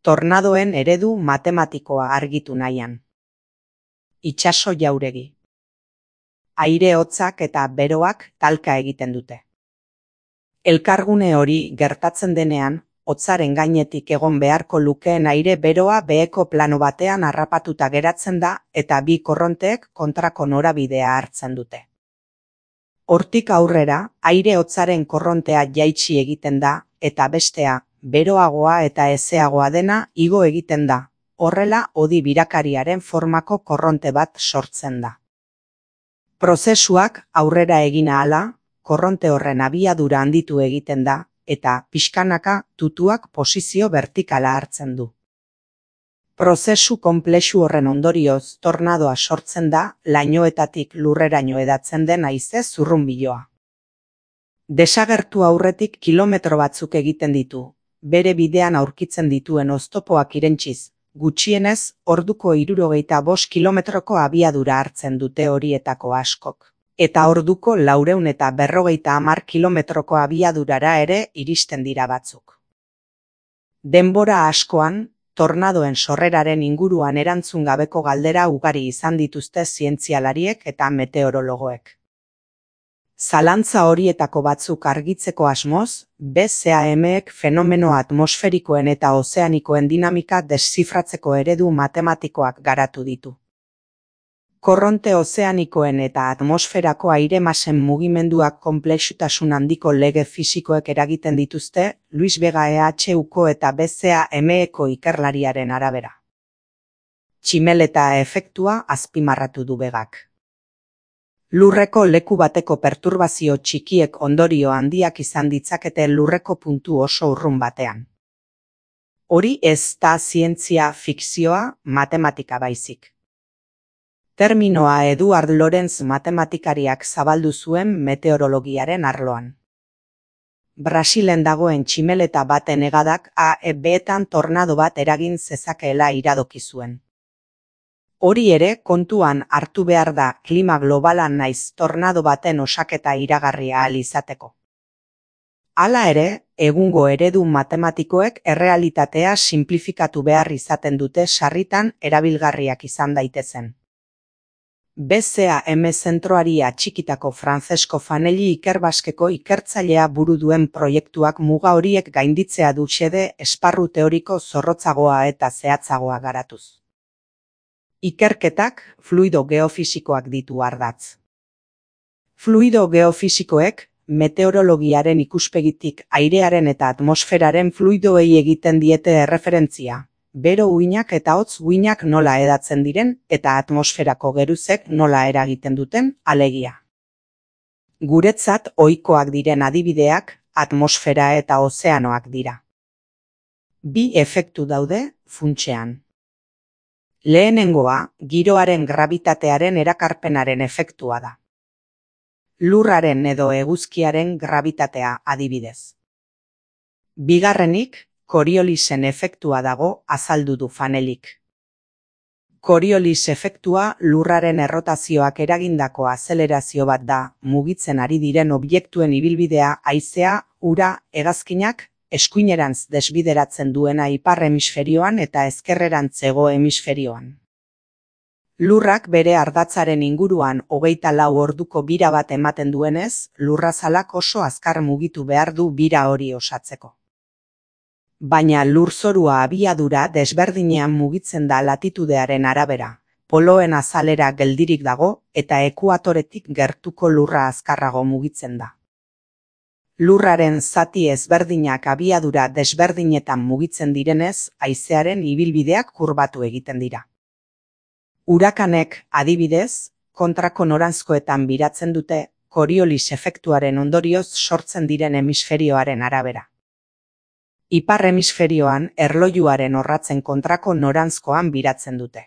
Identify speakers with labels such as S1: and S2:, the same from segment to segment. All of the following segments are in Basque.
S1: Tornadoen eredu matematikoa argitu nahian. Itsaso jauregi. Aire hotzak eta beroak talka egiten dute. Elkargune hori gertatzen denean, hotzaren gainetik egon beharko lukeen aire beroa beheko plano batean harrapatuta geratzen da eta bi korronteek kontrako norabidea hartzen dute. Hortik aurrera, aire hotzaren korrontea jaitsi egiten da eta bestea, beroagoa eta hezeagoa dena igo egiten da. Horrela, hodi birakariaren formako korronte bat sortzen da. Prozesuak aurrera egin ahala, korronte horren abiadura handitu egiten da, eta pixkanaka tutuak posizio vertikala hartzen du. Prozesu konplexu horren ondorioz tornadoa sortzen da lainoetatik lurreraino hedatzen den haize zurrunbiloa. Desagertu aurretik kilometro batzuk egiten ditu, bere bidean aurkitzen dituen oztopoak irentsiz, gutxienez orduko 65 kilometroko abiadura hartzen dute horietako askok. Eta orduko 450 kilometroko abiadurara ere iristen dira batzuk. Denbora askoan, tornadoen sorreraren inguruan erantzun gabeko galdera ugari izan dituzte zientzialariek eta meteorologoek. Zalantza horietako batzuk argitzeko asmoz, BCAM-ek fenomeno atmosferikoen eta ozeanikoen dinamika deszifratzeko eredu matematikoak garatu ditu. Korronte ozeanikoen eta atmosferako aire-masen mugimenduak konplexutasun handiko lege fisikoek eragiten dituzte Luis Vega EHUko eta BCAM-eko ikerlariaren arabera. Tximeleta efektua azpimarratu du Vegak. Lurreko leku bateko perturbazio txikiek ondorio handiak izan ditzakete lurreko puntu oso urrun batean. Hori ez da zientzia fikzioa, matematika baizik. Terminoa Eduard Lorenz matematikariak zabaldu zuen meteorologiaren arloan. Brasilen dagoen tximeleta baten hegadak AEB-etan tornado bat eragin zezakeela iradoki zuen. Hori ere kontuan hartu behar da klima globalan naiz tornado baten osaketa iragarria ahal izateko. Hala ere, egungo eredu matematikoek errealitatea sinplifikatu behar izaten dute sarritan erabilgarriak izan daitezen. BCAM zentroari atxikitako Francesco Fanelli Ikerbaskeko ikertzailea buru duen proiektuak muga horiek gainditzea du xede esparru teoriko zorrotzagoa eta zehatzagoa garatuz. Ikerketak fluido geofisikoak ditu ardatz. Fluido geofisikoek meteorologiaren ikuspegitik airearen eta atmosferaren fluidoei egiten diete erreferentzia. Bero uinak eta hotz uinak nola edatzen diren eta atmosferako geruzek nola eragiten duten alegia. Guretzat ohikoak diren adibideak atmosfera eta ozeanoak dira. Bi efektu daude funtsean. Lehenengoa, giroaren grabitatearen erakarpenaren efektua da. Lurraren edo eguzkiaren grabitatea adibidez. Bigarrenik, Coriolisen efektua dago azaldu du Fanellik. Coriolis efektua lurraren errotazioak eragindako azelerazio bat da, mugitzen ari diren objektuen ibilbidea haizea, ura, hegazkinak, eskuinerantz desbideratzen duena ipar hemisferioan eta ezkerrerantz hego hemisferioan. Lurrak bere ardatzaren inguruan 24 orduko bira bat ematen duenez, lurrazalak oso azkar mugitu behar du bira hori osatzeko. Baina lurzorua abiadura desberdinean mugitzen da latitudearen arabera, poloen azalera geldirik dago eta ekuatoretik gertuko lurra azkarrago mugitzen da. Lurraren zati ezberdinak abiadura desberdinetan mugitzen direnez, haizearen ibilbideak kurbatu egiten dira. Urakanek, adibidez, kontrako noranzkoetan biratzen dute, Coriolis efektuaren ondorioz sortzen diren hemisferioaren arabera. Ipar hemisferioan erlojuaren orratzen kontrako noranzkoan biratzen dute.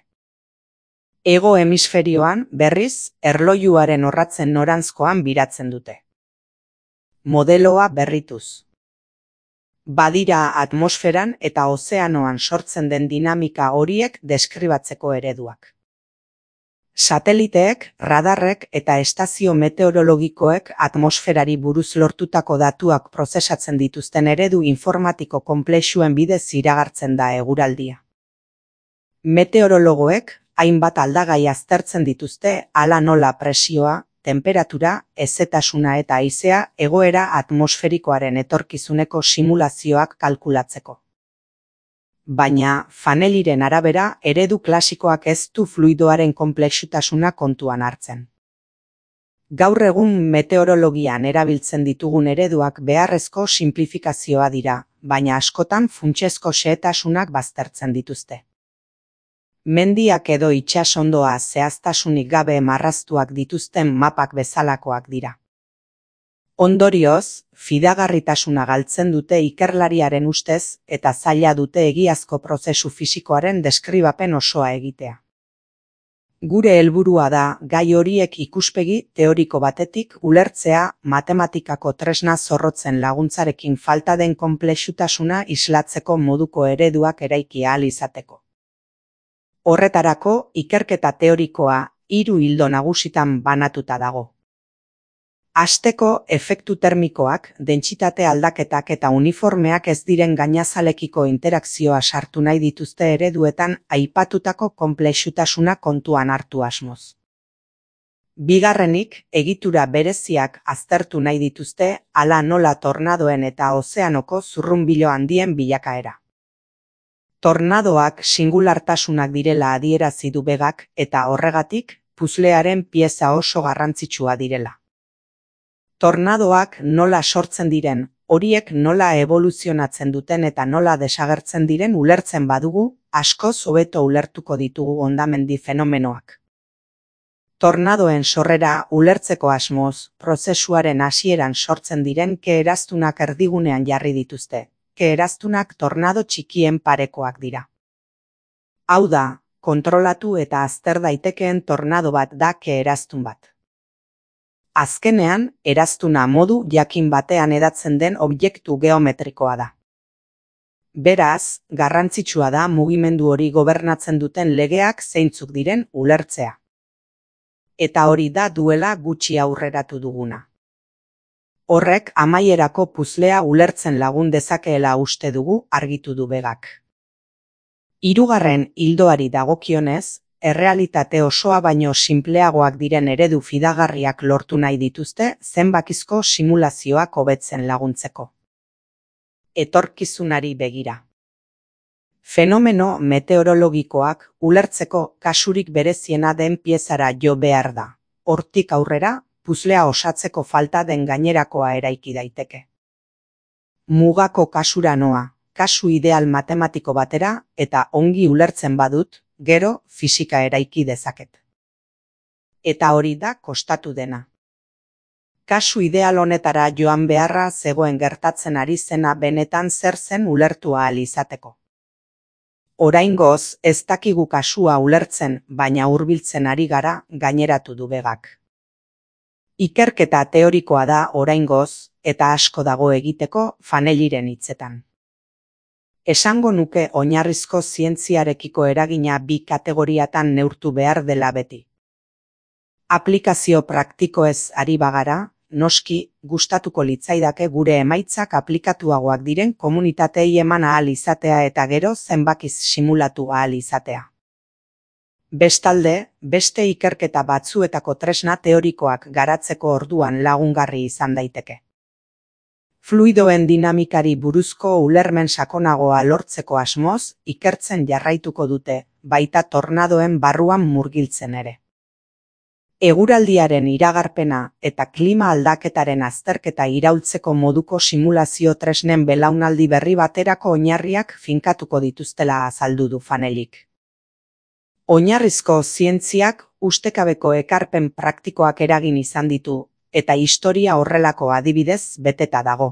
S1: Hego hemisferioan, berriz, erlojuaren orratzen noranzkoan biratzen dute. Modeloa berrituz. Badira atmosferan eta ozeanoan sortzen den dinamika horiek deskribatzeko ereduak. Sateliteek, radarrek eta estazio meteorologikoek atmosferari buruz lortutako datuak prozesatzen dituzten eredu informatiko konplexuen bidez iragartzen da eguraldia. Meteorologoek hainbat aldagai aztertzen dituzte hala nola presioa, temperatura, hezetasuna eta haizea egoera atmosferikoaren etorkizuneko simulazioak kalkulatzeko. Baina, Fanelliren arabera, eredu klasikoak ez du fluidoaren konplexutasuna kontuan hartzen. Gaur egun meteorologian erabiltzen ditugun ereduak beharrezko sinplifikazioa dira, baina askotan funtsezko xehetasunak baztertzen dituzte. Mendiak edo itsasondoa zehaztasunik gabe marraztuak dituzten mapak bezalakoak dira. Ondorioz, fidagarritasuna galtzen dute ikerlariaren ustez eta zaila dute egiazko prozesu fisikoaren deskribapen osoa egitea. Gure helburua da gai horiek ikuspegi teoriko batetik ulertzea matematikako tresna zorrotzen laguntzarekin falta den konplexutasuna islatzeko moduko ereduak eraiki ahal izateko. Horretarako, ikerketa teorikoa 3 ildo nagusitan banatuta dago. Hasteko, efektu termikoak, dentsitate aldaketak eta uniformeak ez diren gainazalekiko interakzioa sartu nahi dituzte ereduetan aipatutako konplexutasuna kontuan hartu asmoz. Bigarrenik, egitura bereziak aztertu nahi dituzte hala nola tornadoen eta ozeanoko zurrunbilo handien bilakaera. Tornadoak singulartasunak direla adierazi du Begak eta horregatik puzlearen pieza oso garrantzitsua direla. Tornadoak nola sortzen diren, horiek nola evoluzionatzen duten eta nola desagertzen diren ulertzen badugu, askoz hobeto ulertuko ditugu hondamendi fenomenoak. Tornadoen sorrera ulertzeko asmoz, prozesuaren hasieran sortzen diren ke-eraztunak erdigunean jarri dituzte. Ke-eraztunak tornado txikien parekoak dira. Hau da, kontrolatu eta azter daitekeen tornado bat da ke-eraztun bat. Azkenean, eraztuna modu jakin batean hedatzen den objektu geometrikoa da. Beraz, garrantzitsua da mugimendu hori gobernatzen duten legeak zeintzuk diren ulertzea. Eta hori da duela gutxi aurreratu duguna. Horrek amaierako puzlea ulertzen lagun dezakeela uste dugu argitu du Begak. 3. ildoari dagokionez, errealitate osoa baino sinpleagoak diren eredu fidagarriak lortu nahi dituzte zenbakizko simulazioak hobetzen laguntzeko. Etorkizunari begira. Fenomeno meteorologikoak ulertzeko kasurik bereziena den piezara jo behar da. Hortik aurrera, puzlea osatzeko falta den gainerakoa eraiki daiteke. Mugako kasura noa, kasu ideal matematiko batera eta ongi ulertzen badut, gero fisika eraiki dezaket. Eta hori da kostatu dena. Kasu ideal honetara joan beharra zegoen gertatzen ari zena benetan zer zen ulertu ahal izateko. Oraingoz ez dakigu kasua ulertzen, baina hurbiltzen ari gara gaineratu du Begak. Ikerketa teorikoa da oraingoz eta asko dago egiteko Fanelliren hitzetan. Esango nuke oinarrizko zientziarekiko eragina 2 kategoriatan neurtu behar dela beti. Aplikazio praktikoez ari bagara, noski gustatuko litzaidake gure emaitzak aplikatuagoak diren komunitatei eman ahal izatea eta gero zenbakiz simulatu ahal izatea. Bestalde, beste ikerketa batzuetako tresna teorikoak garatzeko orduan lagungarri izan daiteke. Fluidoen dinamikari buruzko ulermen sakonagoa lortzeko asmoz, ikertzen jarraituko dute, baita tornadoen barruan murgiltzen ere. Eguraldiaren iragarpena eta klima aldaketaren azterketa iraultzeko moduko simulazio tresnen belaunaldi berri baterako oinarriak finkatuko dituztela azaldu du Fanellik. Oinarrizko zientziak ustekabeko ekarpen praktikoak eragin izan ditu, eta historia horrelako adibidez beteta dago.